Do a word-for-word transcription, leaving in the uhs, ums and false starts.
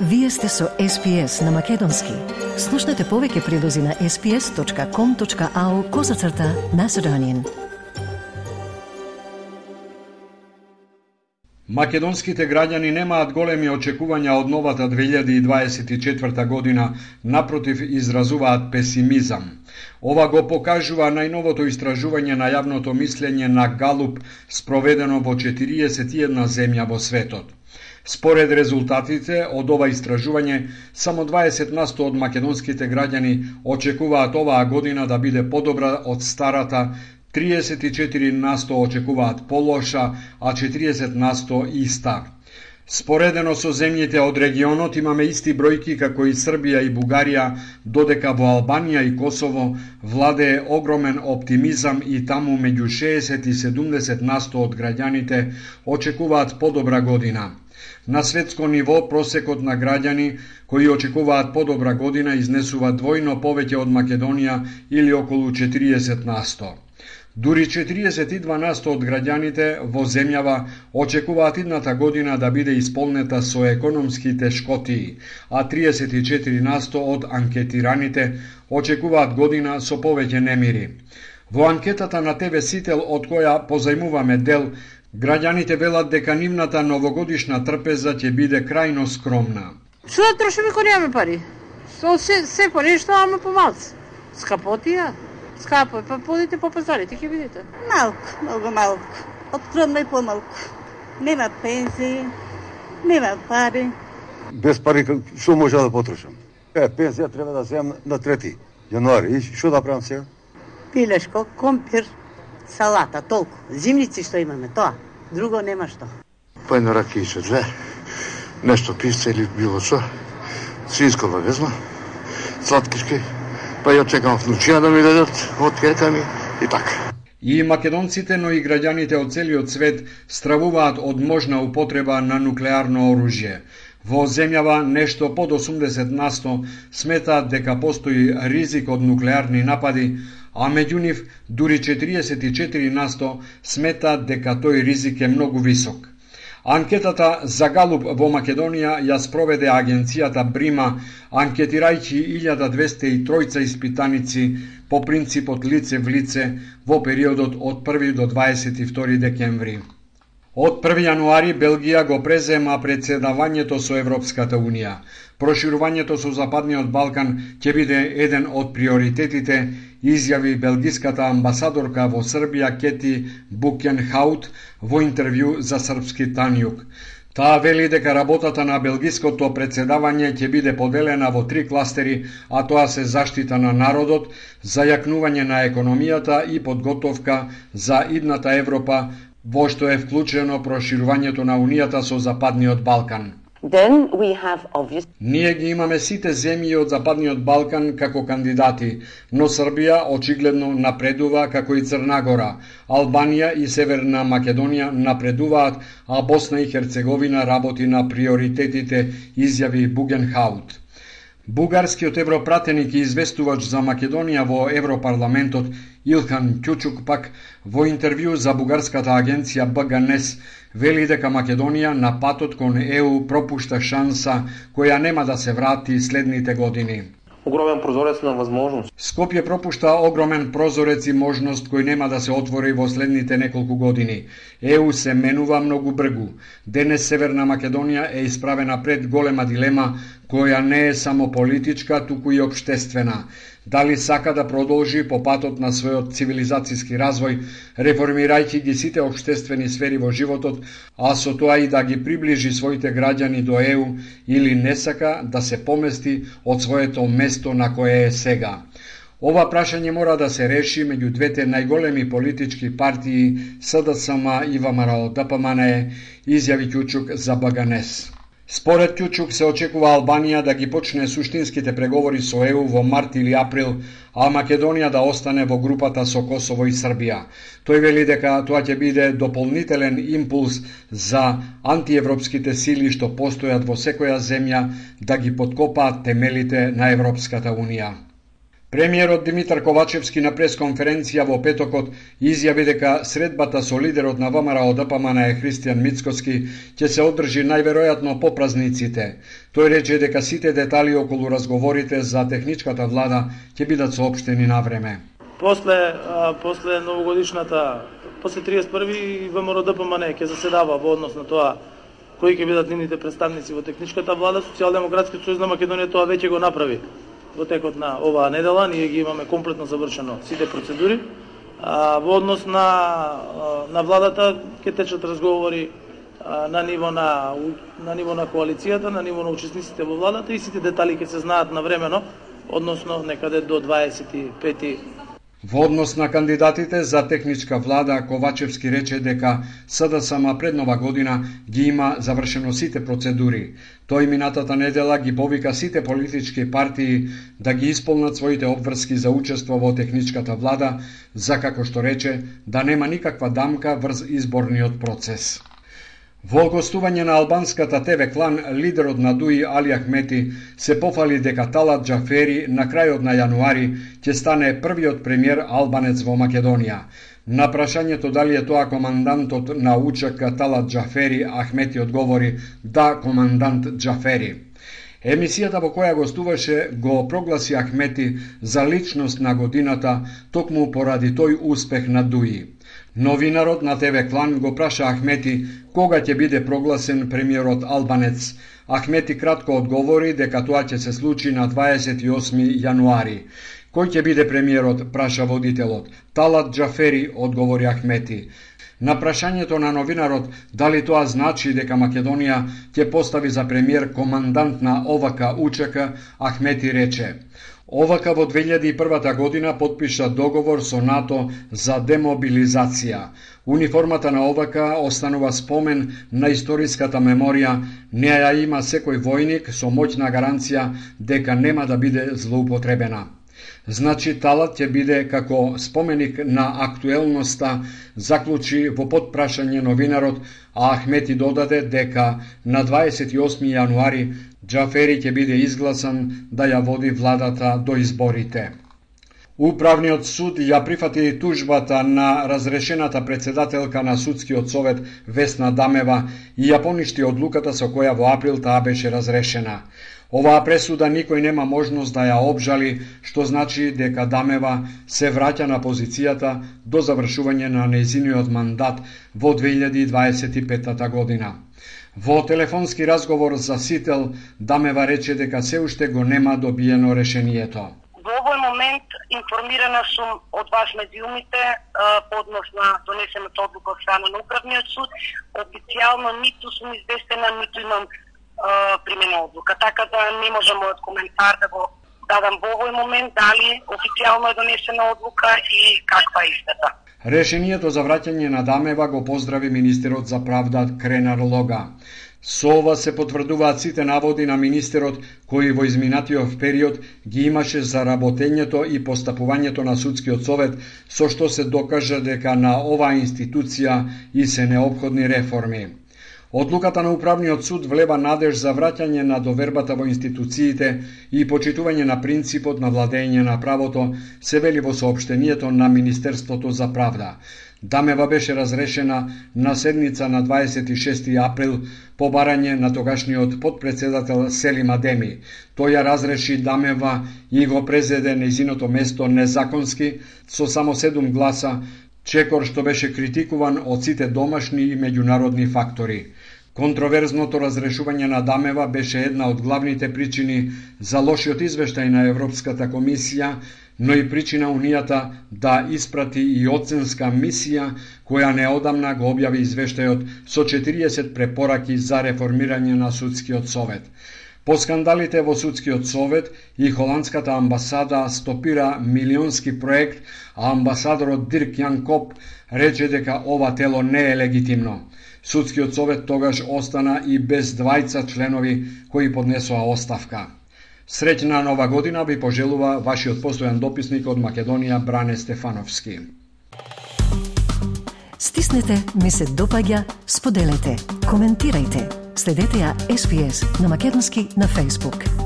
Вие сте со Ес Пи Ес на Македонски. Слушнете повеќе прилози на ес пи ес точка ком точка ау козацрта Macedonian. Македонските граѓани немаат големи очекувања од новата две илјади дваесет и четврта година, напротив изразуваат песимизам. Ова го покажува најновото истражување на јавното мислење на Галуп, спроведено во четириесет и една земја во светот. Според резултатите од ова истражување, само дваесет на сто од македонските граѓани очекуваат оваа година да биде подобра од старата, триесет и четири на сто очекуваат полоша, а четириесет на сто иста. Споредено со земјите од регионот имаме исти бројки како и Србија и Бугарија, додека во Албанија и Косово владее огромен оптимизам и таму меѓу шеесет и седумдесет на сто од граѓаните очекуваат подобра година. На светско ниво просекот на граѓани кои очекуваат подобра година изнесува двојно повеќе од Македонија или околу четириесет на сто. Дури четириесет и два на сто од граѓаните во земјава очекуваат идната година да биде исполнета со економски тешкотии, а триесет и четири на сто од анкетираните очекуваат година со повеќе немири. Во анкетата на Те Ве Сител, од која позајмуваме дел, граѓаните велат дека нивната новогодишна трпеза ќе биде крајно скромна. Што да трошиме кога немаме пари? Со се, се по нешто, ама по малце. Скапотија? Скапо е, па подите по пазарите, ќе видите. Малку, многу малку. Откромно и помалку. Нема пензии, нема пари. Без пари што може да потрошам? Е, пензија треба да земам на трети јануари. И што да правам сега? Пилешко, компир, салата, толку. Зимници што имаме, тоа. Друго нема што. Па едно ракијче, две. Нешто писце или било што. Свинско да везма. Сладкишки. Па ја чекам внучија да ми дадат од кека ми и така. И македонците, но и граѓаните од целиот свет стравуваат од можна употреба на нуклеарно оружје. Во земјава нешто под осумдесет на сто сметаат дека постои ризик од нуклеарни напади, а меѓу нив дури четириесет и четири на сто сметаат дека тој ризик е многу висок. Анкетата за Галуп во Македонија ја спроведе агенцијата Брима, анкетирајќи илјада двесте и тројца испитаници по принципот лице в лице во периодот од први до дваесет и втори декември. Од први јануари Белгија го презема председавањето со Европската Унија. Проширувањето со Западниот Балкан ќе биде еден од приоритетите, изјави белгиската амбасадорка во Србија Кети Букенхаут во интервју за Српски Танјук. Таа вели дека работата на белгиското председавање ќе биде поделена во три кластери, а тоа се заштита на народот, зајакнување на економијата и подготовка за идната Европа, во што е вклучено проширувањето на Унијата со Западниот Балкан. Then we have obvious... Ние ги имаме сите земји од Западниот Балкан како кандидати, но Србија очигледно напредува како и Црна Гора. Албанија и Северна Македонија напредуваат, а Босна и Херцеговина работи на приоритетите, изјави Бугенхаут. Бугарскиот европратеник и известувач за Македонија во Европарламентот Илхан Кјучук пак во интервју за бугарската агенција Б Г Н Е С вели дека Македонија на патот кон Е У пропушта шанса која нема да се врати следните години. Огромен прозорец на возможност. Скопје пропушта огромен прозорец и можност кој нема да се отвори во следните неколку години. Е У се менува многу бргу. Денес Северна Македонија е исправена пред голема дилема која не е само политичка, туку и општествена. Дали сака да продолжи по патот на својот цивилизацијски развој, реформирајќи ги сите општествени сфери во животот, а со тоа и да ги приближи своите граѓани до Е У, или не сака да се помести од своето место на кое е сега. Ова прашање мора да се реши меѓу двете најголеми политички партии С Д С М и В М Р О Д П М Н Е, изјави Кјучук за Б Г Н Е С. Според Кјучук се очекува Албанија да ги почне суштинските преговори со Е У во март или април, а Македонија да остане во групата со Косово и Србија. Тој вели дека тоа ќе биде дополнителен импулс за антиевропските сили што постојат во секоја земја да ги подкопаат темелите на Европската Унија. Премиерот Димитар Ковачевски на пресконференција во петокот изјави дека средбата со лидерот на ВМРО Д П М Н е Христијан Мицкоски ќе се одржи најверојатно по празниците. Тој рече дека сите детали околу разговорите за техничката влада ќе бидат соопштени на време. После а, после новогодишната, после триесет и први ВМРО Д П М Н ќе заседава во однос на тоа кои ќе бидат нивните представници во техничката влада. Социјалдемократски сојуз на Македонија тоа веќе го направи во текот на оваа недела. Ние ги имаме комплетно завршено сите процедури. А, во однос на на владата ќе течат разговори а, на ниво на на ниво на коалицијата, на ниво на учесниците во владата и сите детали ќе се знаат навремено, односно некаде до дваесет и пети. Во однос на кандидатите за техничка влада, Ковачевски рече дека С Д С М пред нова година ги има завршено сите процедури. Тој минатата недела ги повика сите политички партии да ги исполнат своите обврски за учество во техничката влада, за како што рече да нема никаква дамка врз изборниот процес. Во гостување на албанската Т В Клан, лидерот на ДУИ Али Ахмети се пофали дека Талат Џафери на крајот на јануари ќе стане првиот премиер албанец во Македонија. На прашањето дали е тоа командантот на У Ч К Талат Џафери, Ахмети одговори да, командант Џафери. Емисијата во која гостуваше го прогласи Ахмети за личност на годината токму поради тој успех на ДУИ. Новинарот на Т В Клан го праша Ахмети кога ќе биде прогласен премиерот албанец. Ахмети кратко одговори дека тоа ќе се случи на дваесет и осми јануари. Кој ќе биде премиерот, праша водителот. Талат Џафери, одговори Ахмети. На прашањето на новинарот дали тоа значи дека Македонија ќе постави за премиер командант на О В К У Ч К, Ахмети рече: О В К во две илјади и прва година потпиша договор со НАТО за демобилизација. Униформата на О В К останува спомен на историската меморија, неа ја има секој војник со моќна гаранција дека нема да биде злоупотребена. Значи Талат ќе биде како споменик на актуелноста, заклучи во подпрашање новинарот, а Ахмети додаде дека на дваесет и осми јануари Џафери ќе биде изгласан да ја води владата до изборите. Управниот суд ја прифати тужбата на разрешената председателка на судскиот совет Весна Дамева и ја поништи одлуката со која во април таа беше разрешена. Оваа пресуда никој нема можност да ја обжали, што значи дека Дамева се враќа на позицијата до завршување на нејзиниот мандат во две илјади и дваесет и пета година. Во телефонски разговор за Сител, Дамева рече дека се уште го нема добиено решението. Во овој момент информирана сум од вас медиумите по однос на донесената одлука од страна на Управниот суд. Официјално ниту сум известена, ниту имам примена одлука, така да не можам мојот коментар да го дадам во овој момент дали официјално е донесена одлука и каква е истата. Решението за враќање на Дамева го поздрави министерот за правда Кренар Лога. Со ова се потврдуваат сите наводи на министерот кои во изминатиот период ги имаше за работењето и постапувањето на судскиот совет, со што се докажа дека на оваа институција и се неопходни реформи. Одлуката на Управниот суд влева надеж за враќање на довербата во институциите и почитување на принципот на владење на правото, се вели во соопштението на Министерството за правда. Дамева беше разрешена на седница на дваесет и шести април по барање на тогашниот подпредседател Селим Адеми. Тој ја разреши Дамева и го презеде нејзиното место незаконски со само седум гласа, чекор што беше критикуван од сите домашни и меѓународни фактори. Контроверзното разрешување на Дамева беше една од главните причини за лошиот извештај на Европската комисија, но и причина Унијата да испрати и оценска мисија која неодамна го објави извештајот со четириесет препораки за реформирање на судскиот совет. По скандалите во судскиот совет и холандската амбасада стопира милионски проект, а амбасадорот Дирк Јан Коп рече дека ова тело не е легитимно. Судскиот совет тогаш остана и без двајца членови кои поднесоа оставка. Среќна нова година ви пожелува вашиот постојан дописник од Македонија Бране Стефановски. Стиснете, ми се допаѓа, споделете, коментирајте. Следете ја Ес Би Ес на македонски на Facebook.